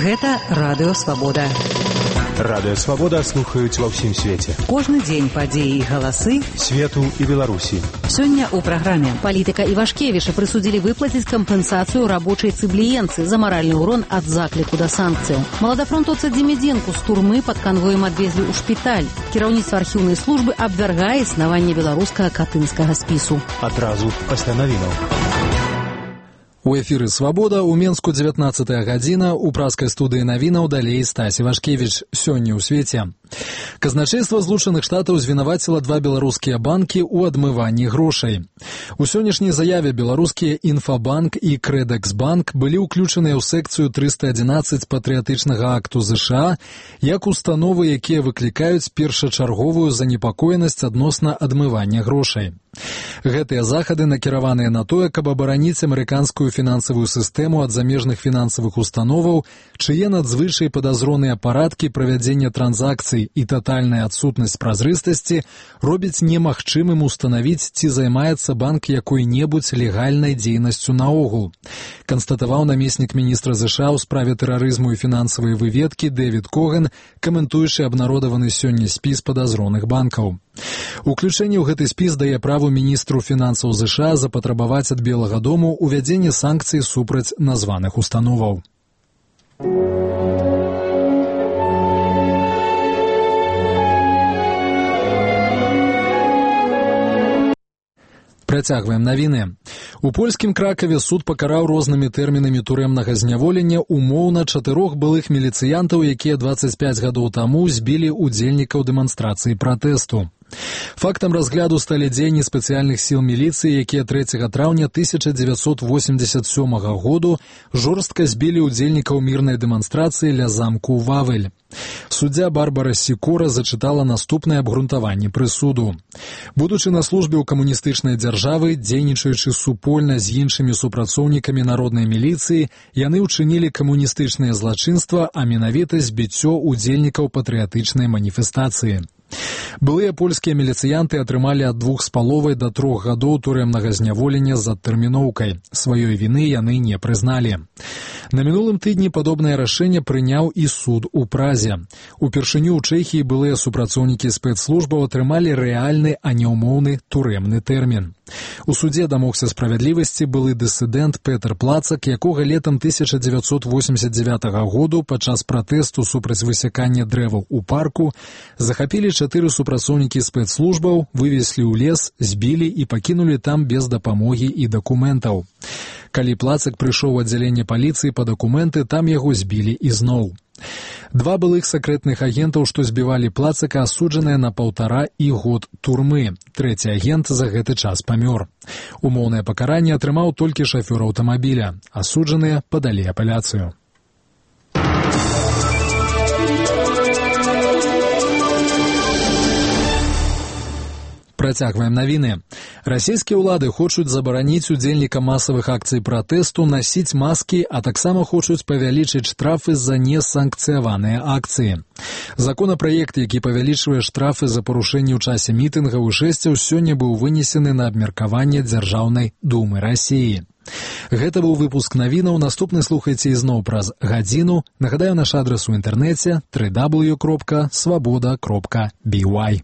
Гэта Радыё Свабода. Радыё Свабода слухаюць ва ўсім свеце. Кожны дзень падзеі і галасы свету і Беларусі. Сёння ў праграме палітыка Івашкевіча прысудзілі выплаціць кампенсацыю рабочай цыбліенцы за маральны ўрон ад закліку да санкцыяў. Маладафронтоўца Демідзенку з турмы пад канвоем адвезлі ў шпіталь. Кіраўніцтва архіўнай службы абвяргае існаванне беларускага катынскага спісу. Адразу пасля навінаў. У эфіры «Свабода» у Менску 19-я гадзіна, у праскай студыі навінаў далей Стась Івашкевіч. Сёння ў свеце. Казначейства Злучаных Штатаў звінаваціла 2 беларускія банкі ў адмыванні грошай. У сённяшняй заяве беларускія Інфабанк і Крэдэксбанк былі ўключаныя ў секцыю 311 патрыятычнага акту ЗША як установы, якія выклікаюць першачарговую занепакоенасць адносна адмывання грошай. Гэтыя захады накіраваныя на тое, каб абараніць амерыканскую фінансавую сістэму ад замежных фінансавых установаў, чые надзвычай падазроныя парадкі правядзення транзакцый і татальная адсутнасць празрыстасці робіць немагчымым устанавіць, ці займаецца банк якой-небудзь легальнай дзейнасцю наогул, канстатаваў намеснік міністра ЗША ў справе тэрарызму і фінансавай выведкі Дэвід Коган, каментуючы абнародаваны сёння спіс падазроных банкаў. Уключэнне ў гэты спіс дае праву міністру фінансаў ЗША запатрабаваць ад Белага дому увядзенне санкцый супраць названых установаў. Працягваем навіны. У польскім Кракаве суд пакараў рознымі тэрмінамі турэмнага зняволення умоўна 4 былых міліцыянтаў, якія 25 гадоў таму збілі удзельнікаў дэманстрацыі пратэсту. Фактам разгляду сталі дзеянні спецыяльных сіл міліцыі, якія 3 траўня 1987 году жорстка збілі удзельнікаў мірнай дэманстрацыі ля замку Вавель. Суддзя Барбара Сікора зачытала наступнае абгрунтаванне прысуду. Будучы на службе ў камуністычнай дзяржавы, дзейнічаючы супольна з іншымі супрацоўнікамі народнай міліцыі, яны ўчынілі камуністычнае злачынства, а менавіта збіццё удзельнікаў патрыятычнай маніфестацыі. Былыя польскія міліцыянты атрымалі ад 2,5 до 3 гадоў турэмнага зняволення з адтэрміноўкай. Сваёй віны яны не прызналі. На мінулым тыдні падобнае рашэнне прыняў і суд у Празе. Упершыню ў Чэхіі былыя супрацоўнікі спецслужбаў атрымалі рэальны, а не ўмоўны турэмны тэрмін. У судзе дамогся справядлівасці былы дысідэнт Петр Плацак, якога летам 1989 году падчас пратэсту супраць высякання дрэваў у парку захапілі 4 супрацоўнікі спецслужбаў, вывезлі ў лес, збілі і пакінулі там без дапамогі і дакументаў. Калі Плацак прыйшоў у аддзяленне паліцыі па дакументы, там яго збілі ізноў. 2 былых сакрэтных агентаў, што збівалі Плацака, асуджаныя на 1,5 год турмы. 3-й агент за гэты час памёр. Умоўнае пакаранне атрымаў толькі шафёр аўтамабіля. Асуджаныя падалі апеляцыю. Працягваем навіны. Расійскія ўлады хочуць забараніць удзельнікам масавых акцый пратэсту насіць маскі, а таксама хочуць павялічыць штрафы за несанкцыяваныя акцыі. Законапраект, які павялічвае штрафы за парушэнне ў часе мітынгаў і жэсцяў, сёння быў вынесены на абмеркаванне Дзяржаўнай думы Расіі. Гэта быў выпуск навінаў. Наступны слухайце ізноў праз гадзіну. Нагадаю, наш адрас у інтэрнэце www.swaboda.by.